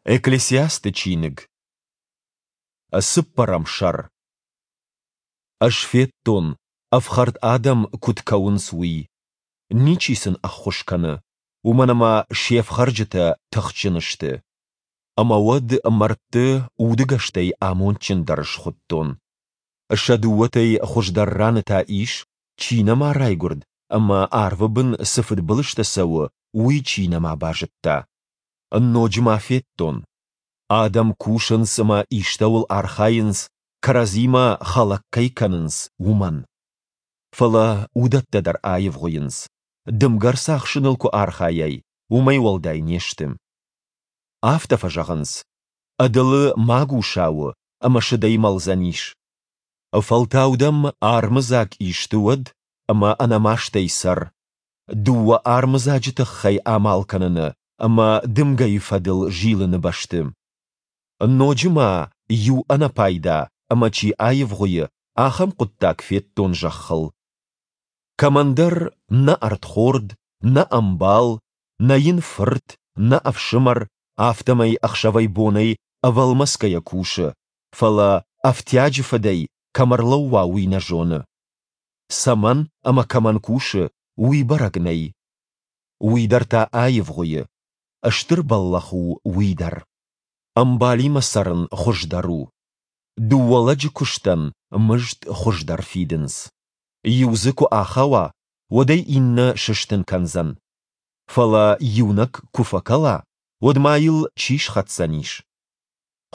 Экклесиасты чиныг, цыппӕрӕм сӕр. Ӕз федтон, ӕфхӕрд адӕм куыд кӕуынц, уый. Ничи сын ӕххуыс кӕны, уымӕн ӕмӕ се фхӕрджытӕ тыхджын сты. Ӕмӕ уӕд мӕрдты удыгӕстӕй амондджындӕр схуыдтон. Сӕ дыууӕтӕй хуыздӕр раны та ис, чи нӕма райгуырд ӕмӕ арвы бын цы фыдбылызтӕ цӕуы, уый чи нӕма базыдта. Ноджы ма федтон, адӕм кусынц ӕмӕ истӕуыл архайынц, кӕрӕдзимӕ хӕлӕг кӕй кӕнынц, уымӕн. Фӕлӕ уыдӕттӕ дӕр аивгъуыйынц, дымгӕ рцахсыныл куы архайай, уымӕй уӕлдай не сты. Афтӕ фӕзӕгъынц, ӕдылы магуса у ӕмӕ сыдӕй мӕлдзӕнис. Фӕлтау дӕм армыдзаг исты уӕд ӕмӕ ӕнӕмастӕй цӕр. Дыууӕ армыдзаджы тыххӕй амал кӕныны ӕмӕ дымгӕйы фӕдыл зилыны бӕсты. Ноджы ма иу ӕнӕпайда ӕмӕ чи аивгъуыйы, ахӕм хъуыддаг федтон зӕххыл. Кӕмӕндӕр нӕ ӕрдхорд, нӕ ӕмбал, нӕ йын фырт, нӕ ӕфсымӕр, афтӕмӕй ӕхсӕвӕй-бонӕй ӕвӕлмӕцгӕйӕ кусы, фӕлӕ ӕфтиаджы фыдӕй кӕм ӕрлӕууа, уый нӕ зоны. Цӕмӕн ӕмӕ кӕмӕн кусы, уый бӕрӕг нӕй. Уый дӕр та аивгъуыйы. Стыр бӕллӕх у уый дӕр. Ӕмбалимӕ цӕрын хуыздӕр у. Дыууӕ лӕджы куыстӕн мызд хуыздӕр фидынц. Иу дзы куы ахауа, уӕд ӕй иннӕ сыстын кӕндзӕн. Фӕлӕ иунӕг куы фӕкӕла, уӕд ма йыл чи схӕцдзӕнис?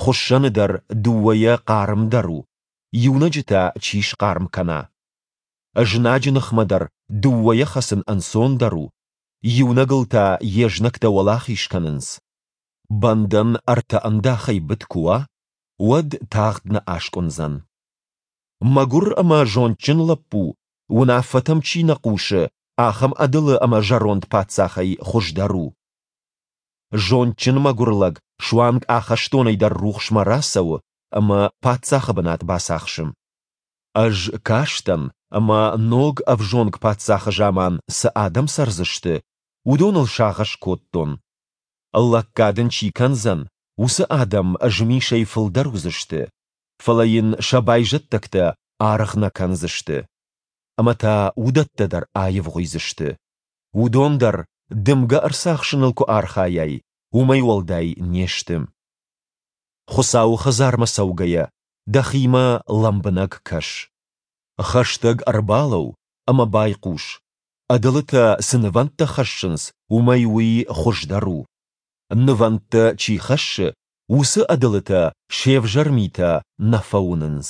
Хуыссӕны дӕр дыууӕйӕ хъармдӕр у, иунӕджы та чи схъарм кӕна? Знаджы ныхмӕ дӕр дыууӕйӕ хӕцын ӕнцондӕр у, иунӕгыл та йе знӕгтӕ уӕлахиз кӕнынц. Бӕндӕн ӕртӕ ӕндахӕй быд куы уа, уӕд тагъд нӕ аскъуындзӕн. Мӕгуыр ӕмӕ зондджын лӕппу, уынаффӕтӕм чи нӕ хъусы, ахӕм ӕдылы ӕмӕ зӕронд паддзахӕй хуыздӕр у. Зондджын мӕгуыр лӕг суанг ахӕстонӕй дӕр рухсмӕ рацӕуы ӕмӕ паддзахы бынат бацахсы. Ӕз кастӕн, ӕмӕ ног ӕвзонг паддзахы заман цы адӕм цӕрдзысты, уыдоныл сагъӕс кодтон. Лӕггад ын чи кӕндзӕн, уыцы адӕм змисӕй фылдӕр уыдзысты, фӕлӕ йын сӕ байзӕддӕгтӕ аргъ нӕ кӕндзысты. Ӕмӕ та уыдӕттӕ дӕр аивгъуыйдзысты. Уыдон дӕр, дымгӕ ӕрцахсыныл куы архайай, уымӕй уӕлдай не сты. Хуыцауы хӕдзармӕ цӕугӕйӕ, дӕхимӕ лӕмбынӕг кӕс. Хӕстӕг ӕрбалӕуу ӕмӕ байхъус, ӕдылытӕ цы нывӕндтӕ хӕссынц, уымӕй уый хуыздӕр у. Нывӕндтӕ чи хӕссы, уыцы ӕдылытӕ се взӕр митӕ нӕ фӕуынынц.